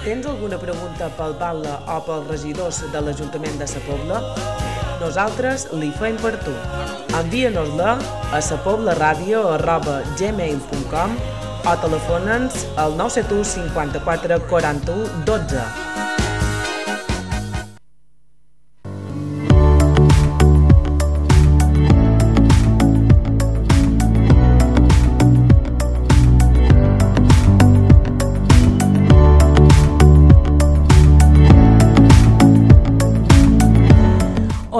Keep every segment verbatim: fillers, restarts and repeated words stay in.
Tens alguna pregunta pel batlle o pels regidors de l'Ajuntament de Sa Pobla? Nosaltres li fem per tu. Envia-nos-la a sapoblaradio arroba gmail punt com o telefona'ns al nou set u cinquanta-quatre quaranta-u dotze.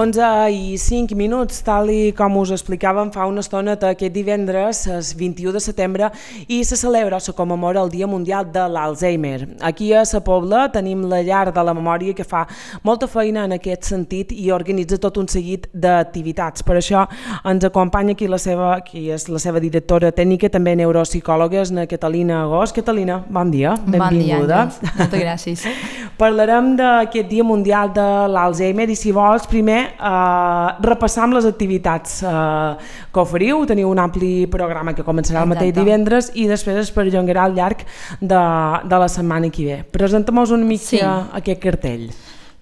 onze i cinc minuts, tal i com us explicàvem fa una estona, aquest divendres, el vint-i-u de setembre, i se celebra o se commemora el Dia Mundial de l'Alzheimer. Aquí a Sa Pobla tenim la Llar de la Memòria que fa molta feina en aquest sentit i organitza tot un seguit d'activitats. Per això ens acompanya aquí la seva, qui és la seva directora tècnica, també neuropsicòloga, és la Catalina Agós. Catalina, bon dia, benvinguda. Bon dia, moltes gràcies. Parlarem d'aquest Dia Mundial de l'Alzheimer i si vols primer Uh, repassam les activitats uh, que oferiu. Teniu un ampli programa que començarà el mateix divendres i després es perllongarà al llarg de, de la setmana que ve. Presenta'm-nos una mica sí. aquest cartell.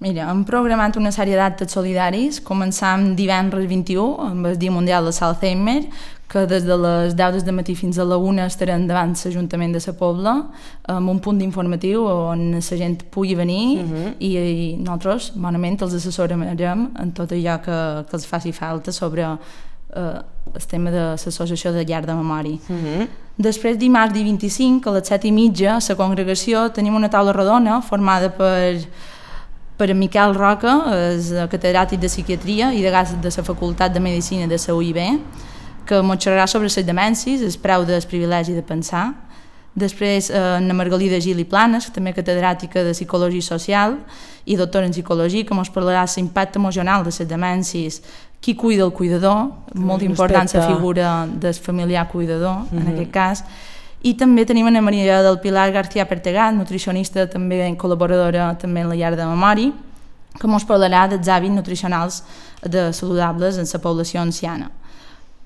Mira, hem programat una sèrie d'actes solidaris. Començam divendres vint-i-u amb el Dia Mundial de l'Alzheimer, que des de les deu del matí fins a la una estarem davant l'Ajuntament de Sa Pobla amb un punt informatiu on la gent pugui venir uh-huh. i, i nosaltres bonament els assessorarem en tot allò que, que els faci falta sobre eh, el tema de l'associació de Llar de Memòria. Uh-huh. Després, dimarts dia vint-i-cinc, a les set i mitja, a la congregació tenim una taula rodona formada per per en Miquel Roca, és catedràtic de psiquiatria i degà de la Facultat de Medicina de la U I B, que ens xerrarà sobre les demències, el preu del privilegi de pensar. Després, eh, na Margalida Gil i Planes, que també catedràtica de Psicologia Social i doctora en Psicologia, que ens parlarà de l'impacte emocional de les demències, qui cuida el cuidador, molt important la figura del familiar cuidador, uh-huh. en aquest cas. I també tenim a Maria del Pilar García Pertegat, nutricionista, també col·laboradora també en la Llar de Memòria, que ens parlarà dels hàbits nutricionals de saludables en la població anciana.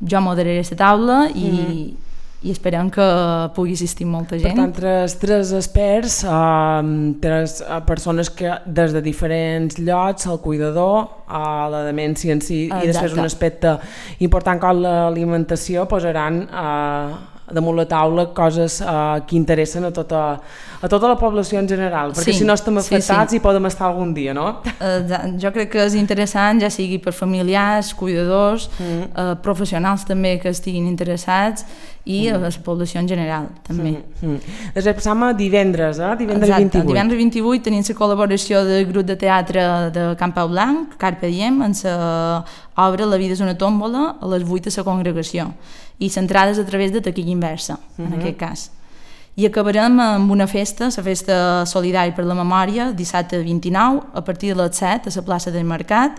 Jo moderaré aquesta taula i, mm-hmm. i esperem que pugui assistir molta gent. Per tant, tres, tres experts, uh, tres persones que des de diferents llocs, el cuidador, uh, la demència en si, Exacte. I després un aspecte important com l'alimentació, posaran uh, damunt la taula coses uh, que interessen a tota, a tota la població en general, perquè sí, si no estem afectats sí, sí. hi podem estar algun dia, no? Uh, jo crec que és interessant, ja sigui per familiars, cuidadors, mm. uh, professionals també que estiguin interessats i mm. a la població en general, també. Mm. Mm. Després passam a divendres, eh? Divendres Exacte. vint-i-vuit. Divendres vint-i-vuit tenim la col·laboració del grup de teatre de Can Pau Blanc, Carpe Diem, en l'obra La vida és una tòmbola, a les vuit a la congregació, i centrades a través de taquilla inversa, uh-huh. en aquest cas. I acabarem amb una festa, la festa solidària per la memòria, dissabte vint-i-nou, a partir de les set, a la plaça del Mercat,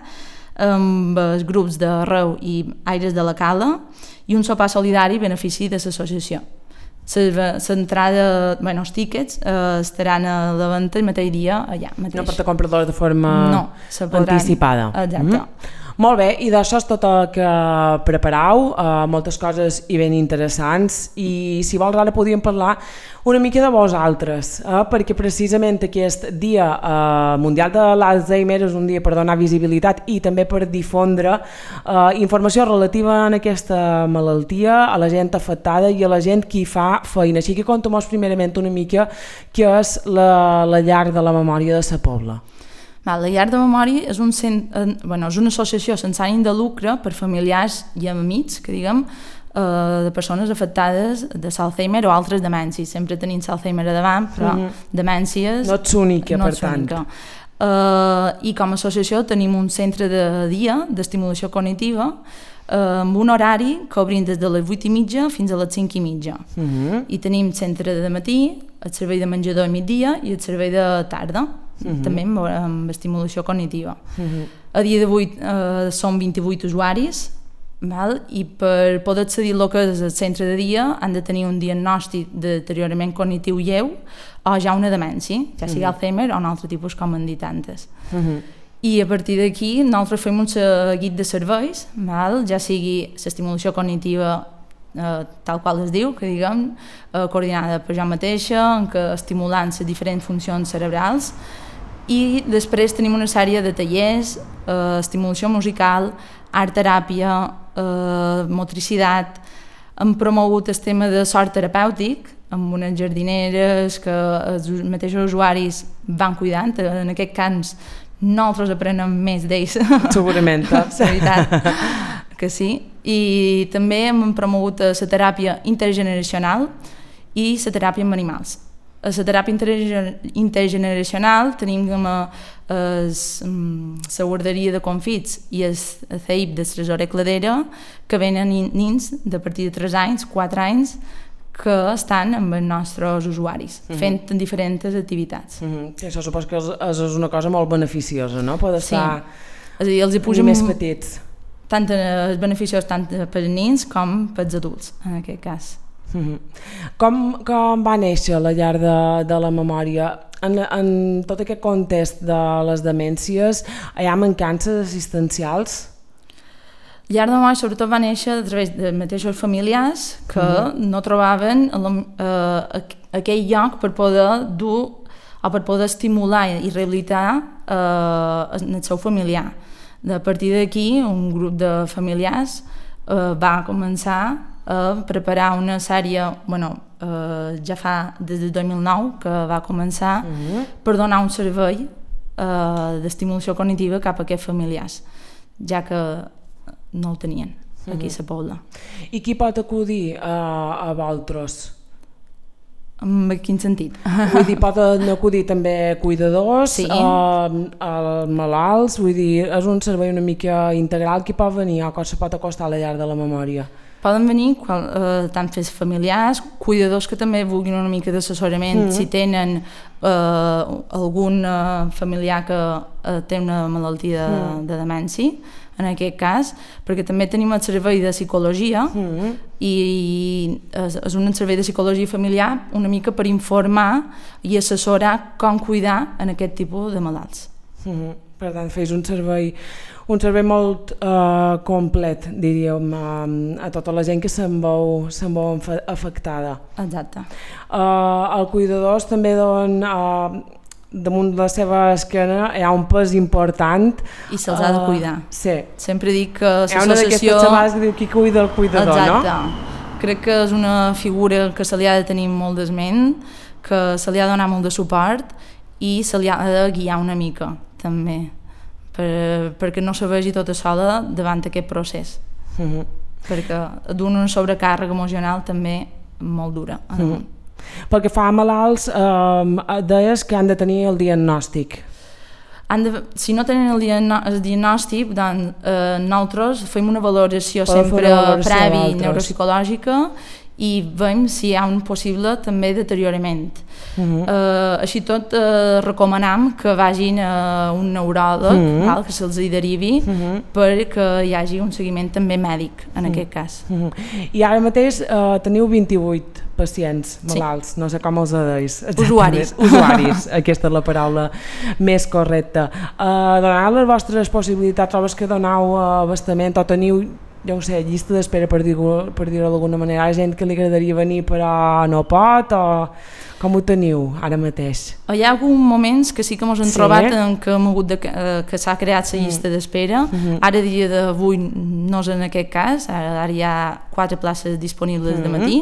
amb els grups de Reu i Aires de la Cala, i un sopar solidari benefici de l'associació. L'entrada, bueno, els tíquets eh, estaran a la venda el mateix dia allà mateix. No per te comprar-los de forma no, anticipada. Exacte. Mm-hmm. Molt bé, i d'això és tot el que preparau, uh, moltes coses i ben interessants, i si vols ara podríem parlar una mica de vosaltres, eh? perquè precisament aquest dia uh, mundial de l'Alzheimer és un dia per donar visibilitat i també per difondre uh, informació relativa a aquesta malaltia, a la gent afectada i a la gent que hi fa feina. Així que conta'm-nos primerament una mica què és la, la Llar de la Memòria de Sa Pobla. La Llar de Memòria és, un cent, bueno, és una associació sense ànim de lucre per familiars i amics, que diguem, eh, de persones afectades de l'Alzheimer o altres demències. Sempre tenim l'Alzheimer a davant, però mm-hmm. demències... No ets única, no per tant. Uh, I com a associació tenim un centre de dia d'estimulació cognitiva uh, amb un horari que obrim des de les vuit i mitja fins a les cinc i mitja. Mm-hmm. I tenim centre de matí, el servei de menjador a migdia i el servei de tarda. Uh-huh. També amb, amb estimulació cognitiva. Uh-huh. A dia d'avui eh, són vint-i-vuit usuaris, val? I per poder accedir al que és el centre de dia han de tenir un diagnòstic de deteriorament cognitiu lleu o ja una demència, ja sigui uh-huh. Alzheimer o un altre tipus com han dit antes. Uh-huh. I a partir d'aquí nosaltres fem un seguit de serveis, val? Ja sigui l'estimulació cognitiva eh, tal qual es diu, que diguem, eh, coordinada per jo mateixa, en què estimulant les diferents funcions cerebrals, i després tenim una sèrie de tallers, eh, estimulació musical, art teràpia, eh, motricitat. Hem promogut el tema de sort terapèutic, amb unes jardineres que els mateixos usuaris van cuidant. En aquest cas, nosaltres aprenem més d'ells. Segurament. La veritat que sí. I també hem promogut la teràpia intergeneracional i la teràpia amb animals. A la teràpia intergeneracional tenim la guarderia de confits i el C E I P de Tresorer Cladera, que venen nins de partir de tres anys, quatre anys, que estan amb els nostres usuaris, uh -huh. fent diferents activitats. Uh -huh. Això suposo que és, és una cosa molt beneficiosa, no? Poder estar sí. És a dir, els hi posem més petits. Tant és beneficiós tant per als nins com per als adults, en aquest cas. Uh -huh. com, com va néixer la llar de, de la memòria? En, en tot aquest context de les demències, hi ha mancances assistencials? Llar de memòria sobretot va néixer a través de mateixos familiars que uh-huh. no trobaven eh, aquell lloc per poder dur o per poder estimular i rehabilitar eh, el seu familiar. A partir d'aquí, un grup de familiars eh, va començar a preparar una sèrie, bueno, eh, ja fa des del dos mil nou que va començar uh-huh. per donar un servei eh, d'estimulació cognitiva cap a aquests familiars, ja que no el tenien aquí uh-huh. a la Pobla. I qui pot acudir a, a vosaltres? En quin sentit? Vull dir, poden acudir també cuidadors, sí. a, a malalts, vull dir, és un servei una mica integral. Qui pot venir o que se pot acostar a la llar de la memòria? Poden venir qual, eh, tant fes familiars, cuidadors que també vulguin una mica d'assessorament, mm-hmm. si tenen eh, algun eh, familiar que eh, té una malaltia de, mm. de demència, en aquest cas, perquè també tenim el servei de psicologia mm-hmm. i és, és un servei de psicologia familiar una mica per informar i assessorar com cuidar en aquest tipus de malalts. Mm-hmm. Per tant, fes un servei un servei molt uh, complet, diríem, uh, a tota la gent que se'n veu, se'n veu afectada. Exacte. Uh, el cuidadors també don, uh, damunt de la seva esquena hi ha un pes important. I se'ls uh, ha de cuidar. Sí. Sempre dic que l'associació... Hi ha una d'aquestes xavals que diu qui cuida el cuidador, exacte. No? Crec que és una figura que se li ha de tenir molt d'esment, que se li ha de donar molt de suport i se li ha de guiar una mica, també. Per, perquè no se vegi tota sola davant aquest procés. Uh-huh. Perquè d'un una sobrecàrrega emocional també molt dura. Uh-huh. Pel que fa a malalts, eh, deies que han de tenir el diagnòstic. Han de, si no tenen el, diagno, el diagnòstic, doncs, eh, nosaltres fem una valoració Podem sempre valoració prèvia i neuropsicològica i veiem si hi ha un possible també deteriorament. Uh-huh. eh, així tot eh, recomanam que vagin a un neuròleg, uh-huh. val, que se'ls hi derivi uh-huh. perquè hi hagi un seguiment també mèdic en uh-huh. aquest cas. Uh-huh. I ara mateix eh, teniu vint-i-vuit pacients malalts, sí. No sé com els deis. Usuaris. Usuaris, aquesta és la paraula més correcta. Eh, donant les vostres possibilitats, trobes que donau abastament o teniu, ja ho sé, llista d'espera per dir-ho per dir-ho d'alguna manera, hi ha gent que li agradaria venir però no pot, o com ho teniu ara mateix? Hi ha alguns moments que sí que ens hem sí. trobat en què hem hagut de, eh, que s'ha creat la llista mm. d'espera, mm-hmm. ara dia d'avui no és en aquest cas, ara, ara hi ha quatre places disponibles mm-hmm. de matí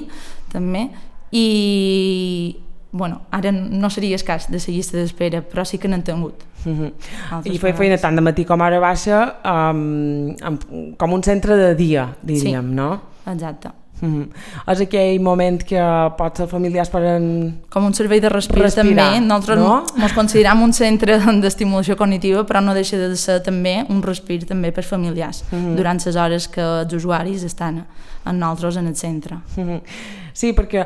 també, i bueno, ara no seria escàs de la llista d'espera, però sí que n'han tingut. Mm-hmm. I feia feina tant de matí com ara baixa, um, um, com un centre de dia, diríem, sí. no? Exacte. Mm-hmm. És aquell moment que potser els familiars poden... Com un servei de respirar, respirar també. Nosaltres no? Ens considerem un centre d'estimulació cognitiva, però no deixa de ser també un respir també per familiars, mm-hmm. durant les hores que els usuaris estan amb nosaltres en el centre. Mm-hmm. Sí, perquè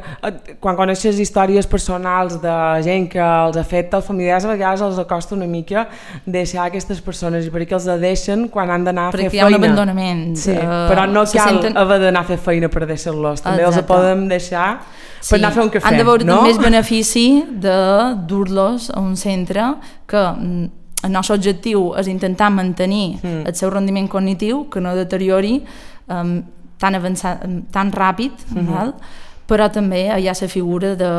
quan coneixes històries personals de gent que els ha fet, els familiars a vegades els acosta una mica deixar aquestes persones, i perquè els deixen quan han d'anar a fer feina. Perquè hi ha un abandonament. Sí, uh, però no cal senten... haver d'anar a fer feina per deixar-los, també Exacte. Els podem deixar per sí. anar a fer un cafè. Han de veure no? més benefici de dur-los a un centre que el nostre objectiu és intentar mantenir mm. el seu rendiment cognitiu, que no deteriori um, tan avançat, tan ràpid, uh-huh. val? Però també hi ha la figura de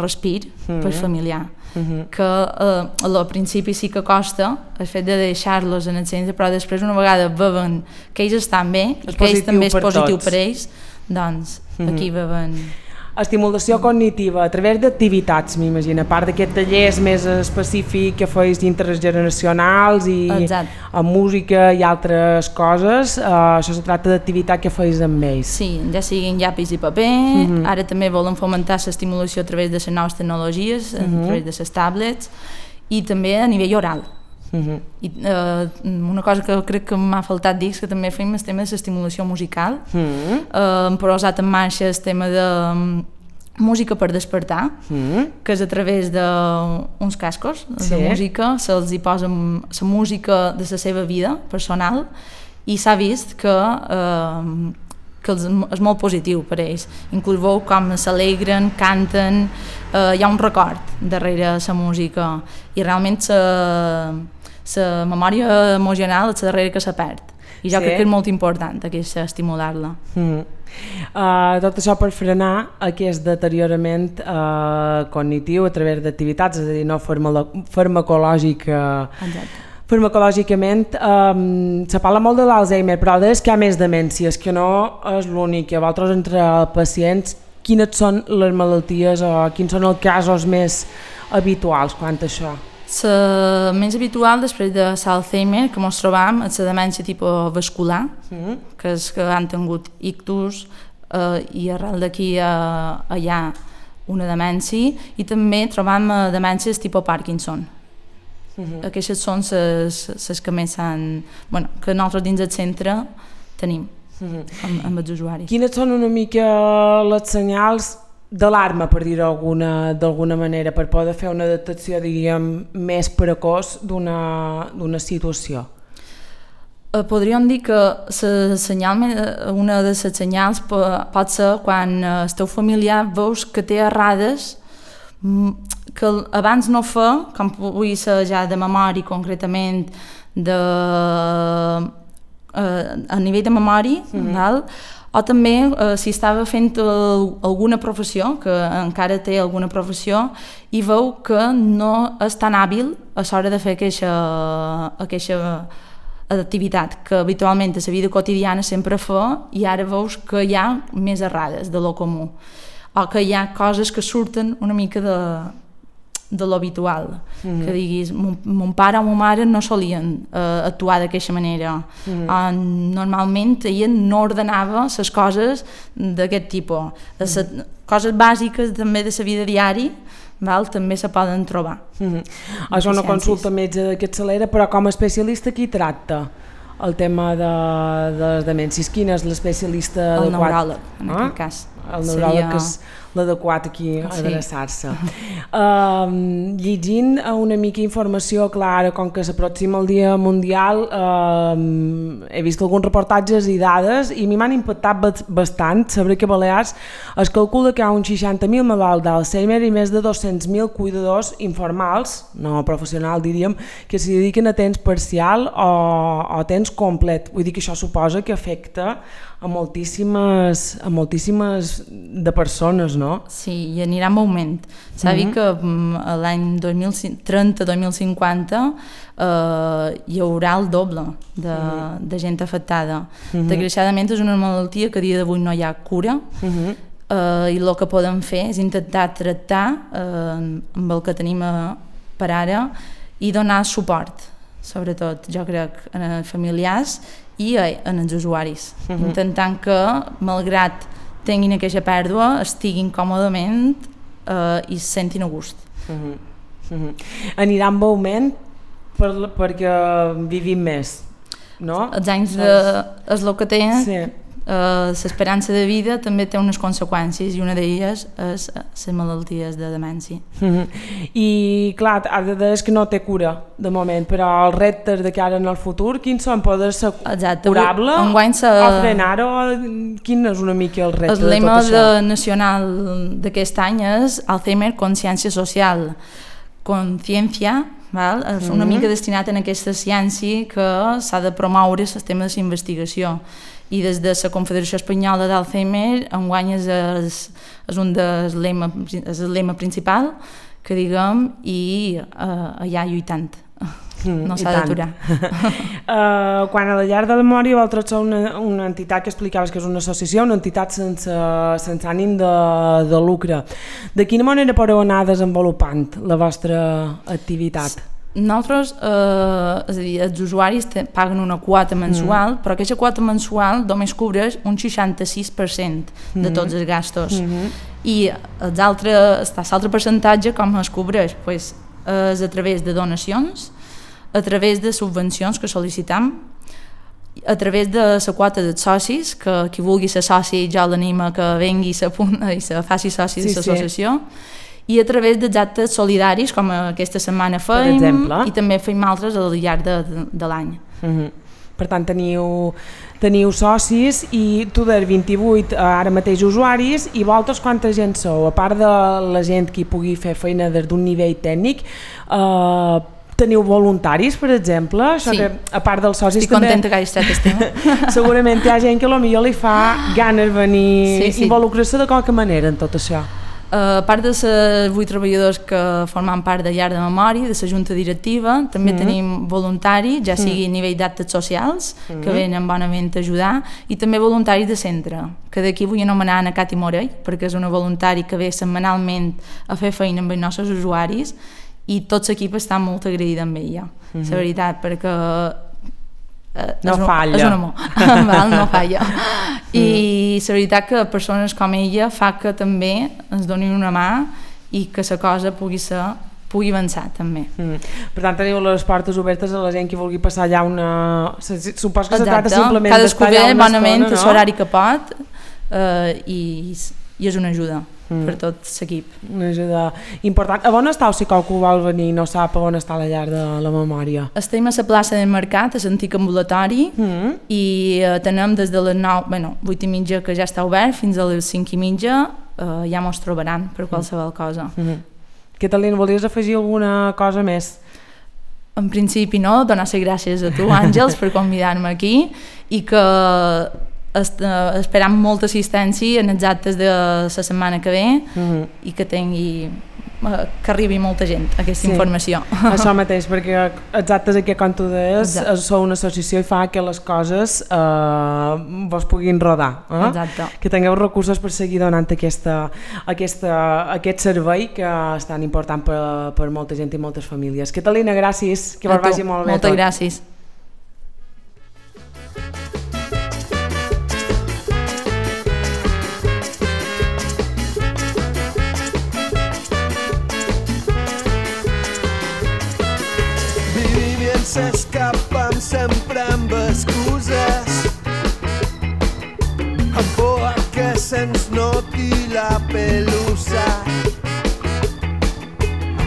respir uh-huh. per familiar, uh-huh. que eh, al principi sí que costa el fet de deixar-los en el centre, però després una vegada veuen que ells estan bé i que ells també és positiu tots. per ells, doncs uh-huh. aquí veuen... Estimulació cognitiva a través d'activitats, m'imagino, a part d'aquest tallers més específic que feis intergeneracionals i Exacte. amb música i altres coses, uh, això se tracta d'activitat que feis amb ells. Sí, ja siguin llapis i paper, uh-huh. ara també volen fomentar l'estimulació a través de les noves tecnologies, uh-huh. a través de les tablets i també a nivell oral. Uh-huh. I, uh, una cosa que crec que m'ha faltat dir és que també fem el tema de l'estimulació musical. Uh-huh. uh, hem posat en marxa el tema de um, música per despertar, uh-huh. que és a través d'uns cascos sí. de música, se'ls hi posa la música de la seva vida personal i s'ha vist que uh, que és molt positiu per a ells. Inclús veu com s'alegren, canten, eh, hi ha un record darrere la música i realment la memòria emocional és la darrere que se perd. I jo sí. crec que és molt important aquesta, estimular-la. Mm. Uh, tot això per frenar aquest deteriorament uh, cognitiu a través d'activitats, és a dir, no farmacològica. Exacte. Farmacològicament um, se parla molt de l'Alzheimer, però és que hi ha més demències, que no és l'únic. A vosaltres, entre pacients, quines són les malalties o quins són els casos més habituals quant a això? La més habitual després de l'Alzheimer que ens trobam és la demència tipus vascular, mm-hmm. que és que han tingut ictus eh, i arrel d'aquí eh, hi ha una demència, i també trobam eh, demències tipus Parkinson. Uh-huh. Aquestes són les que més s'han... Bueno, que nosaltres dins del centre tenim uh-huh. amb, amb els usuaris. Quines són una mica les senyals d'alarma, per dir-ho d'alguna manera, per poder fer una detecció, diríem, més precoç d'una situació? Eh, podríem dir que la senyal, una de les senyals pot ser quan el teu familiar veus que té errades que abans no fa, com pugui ser ja de memòria concretament, de, eh, a nivell de memòria, mm-hmm. val? O també eh, si estava fent alguna professió, que encara té alguna professió, i veu que no és tan hàbil a l'hora de fer aquesta, aquesta activitat que habitualment a la vida quotidiana sempre fa, i ara veus que hi ha més errades de lo comú, o que hi ha coses que surten una mica de de l'habitual, mm-hmm. que diguis mon, mon pare o mon mare no solien uh, actuar d'aquesta manera, mm-hmm. uh, normalment ella no ordenava les coses d'aquest tipus, les mm-hmm. coses bàsiques també de la vida diària, val? També se poden trobar. Mm-hmm. És una consulta metge que accelera, però com a especialista qui tracta el tema de, de les demències? Quin és l'especialista adequat? El neuròleg, en ah? aquest cas. El neuròleg Seria... és l'adequat aquí a sí. adreçar-se. Uh, llegint una mica informació clara, com que s'aproxima el Dia Mundial, uh, he vist alguns reportatges i dades i m'han impactat bastant saber que a Balears es calcula que hi ha uns seixanta mil malalts d'Alzheimer i més de dos-cents mil cuidadors informals, no professionals diríem, que s'hi dediquen a temps parcial o, o temps complet. Vull dir que això suposa que afecta a moltíssimes, a moltíssimes de persones, no? Sí, i anirà en augment. S'ha mm-hmm. dit que l'any dos mil trenta dos mil cinquanta eh, hi haurà el doble de, mm-hmm. de gent afectada. Mm-hmm. Desgraciadament és una malaltia que a dia d'avui no hi ha cura, mm-hmm. eh, i el que podem fer és intentar tractar eh, amb el que tenim a, per ara i donar suport, sobretot, jo crec, a familiars i en els usuaris, uh-huh. intentant que, malgrat tinguin aquesta pèrdua, estiguin còmodament eh, i se sentin a gust. Uh-huh. Uh-huh. Anirà amb augment per, perquè vivim més, no? Els anys de, és el que té, sí. eh, l'esperança de vida també té unes conseqüències i una d'elles és les malalties de demència. Uh-huh. I clar, ara és que no té cura de moment, però els reptes de cara en el futur, quins són? Poder ser Exacte. curable se... o frenar-ho? Quin és una mica el repte el de tot això? El lema nacional d'aquest any és Alzheimer, consciència social. Consciència, val? És una mm-hmm. mica destinat en aquesta ciència que s'ha de promoure el tema de la investigació. i des de la Confederació Espanyola d'Alzheimer enguany és, és, és un dels lema, és el lema principal que diguem i uh, allà lluitant. Mm, no s'ha d'aturar. uh, quan a la llar de la memòria vosaltres sou una, una entitat que explicaves que és una associació, una entitat sense, sense ànim de, de lucre. De quina manera podeu anar desenvolupant la vostra activitat? Nosaltres, eh, és a dir, els usuaris te, paguen una quota mensual, mm. però aquesta quota mensual només cobreix un seixanta-sis per cent de mm. tots els gastos. Mm-hmm. I els altres, l'altre percentatge com es cobreix? Pues, és a través de donacions, a través de subvencions que sol·licitam, a través de la quota dels socis, que qui vulgui ser soci ja l'anima que vengui i se faci soci sí, de l'associació, sí. I a través dels actes solidaris, com aquesta setmana fem, i també fem altres al llarg de, de, de l'any. Mm-hmm. Per tant, teniu, teniu socis i tu de vint-i-vuit ara mateix usuaris, i vosaltres quanta gent sou? A part de la gent que pugui fer feina des d'un nivell tècnic, eh, teniu voluntaris, per exemple? Això sí. Que, a part dels socis estic també... contenta que hagi estat estima. Segurament hi ha gent que potser li fa ganes venir, sí, sí. involucrar-se de qualque manera en tot això. Uh, a part de les vuit treballadors que formen part de llar de memòria, de la junta directiva, també mm-hmm. tenim voluntaris, ja sigui a nivell d'actes socials, mm-hmm. que venen bonament a ajudar, i també voluntaris de centre, que d'aquí vull anomenar Ana Cati Morell, perquè és una voluntari que ve setmanalment a fer feina amb els nostres usuaris, i tot l'equip està molt agraïda amb ella, mm-hmm. la veritat, perquè no és falla. És un amor, val, no falla. I la veritat que persones com ella fa que també ens donin una mà i que la cosa pugui ser pugui avançar també. Mm. Per tant, teniu les portes obertes a la gent que vulgui passar allà una... Supos que Exacte. Se tracta simplement d'estar allà una bonament, estona, no? L'horari que pot eh, i, i és una ajuda mm. per tot l'equip. Una ajuda important. A on estàu si qualcú vol venir i no sap a on està la llar de la memòria? Estem a la plaça del Mercat, a l'antic ambulatori, mm. i eh, tenem des de les nou, bueno, vuit i mitja que ja està obert, fins a les cinc i mitja, eh, ja mos trobaran per qualsevol cosa. Mm. Catalina, volies afegir alguna cosa més? En principi no, donar les gràcies a tu, Àngels, per convidar-me aquí, i que est esperam molta assistència en els actes de la setmana que ve mm-hmm. i que tingui que arribi molta gent aquesta sí. Informació. Això mateix, perquè els actes aquí, com tu deies, sou una associació i fa que les coses eh, vos puguin rodar. Eh? Exacte. Que tingueu recursos per seguir donant aquesta, aquesta, aquest servei que és tan important per, per molta gent i moltes famílies. Catalina, gràcies, que vos vagi molt bé. Moltes tot. Gràcies. S'escapen sempre amb excuses, amb por a que se'ns noti la pelusa,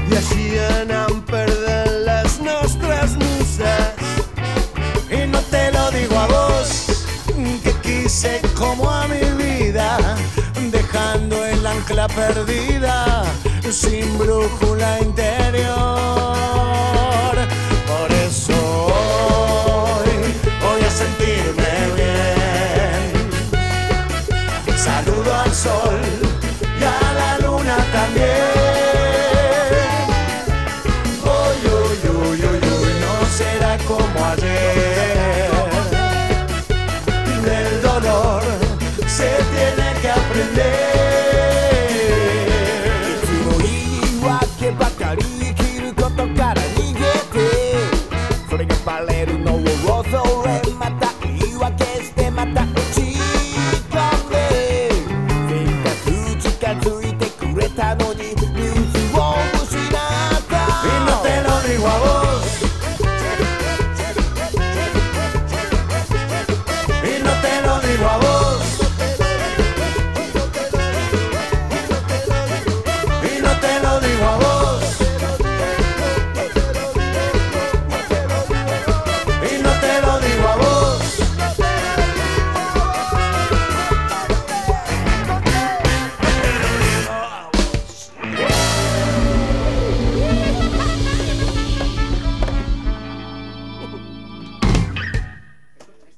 i així anem perdent les nostres muses. Y no te lo digo a vos, que quise como a mi vida, dejando el ancla perdida, sin brújula interna.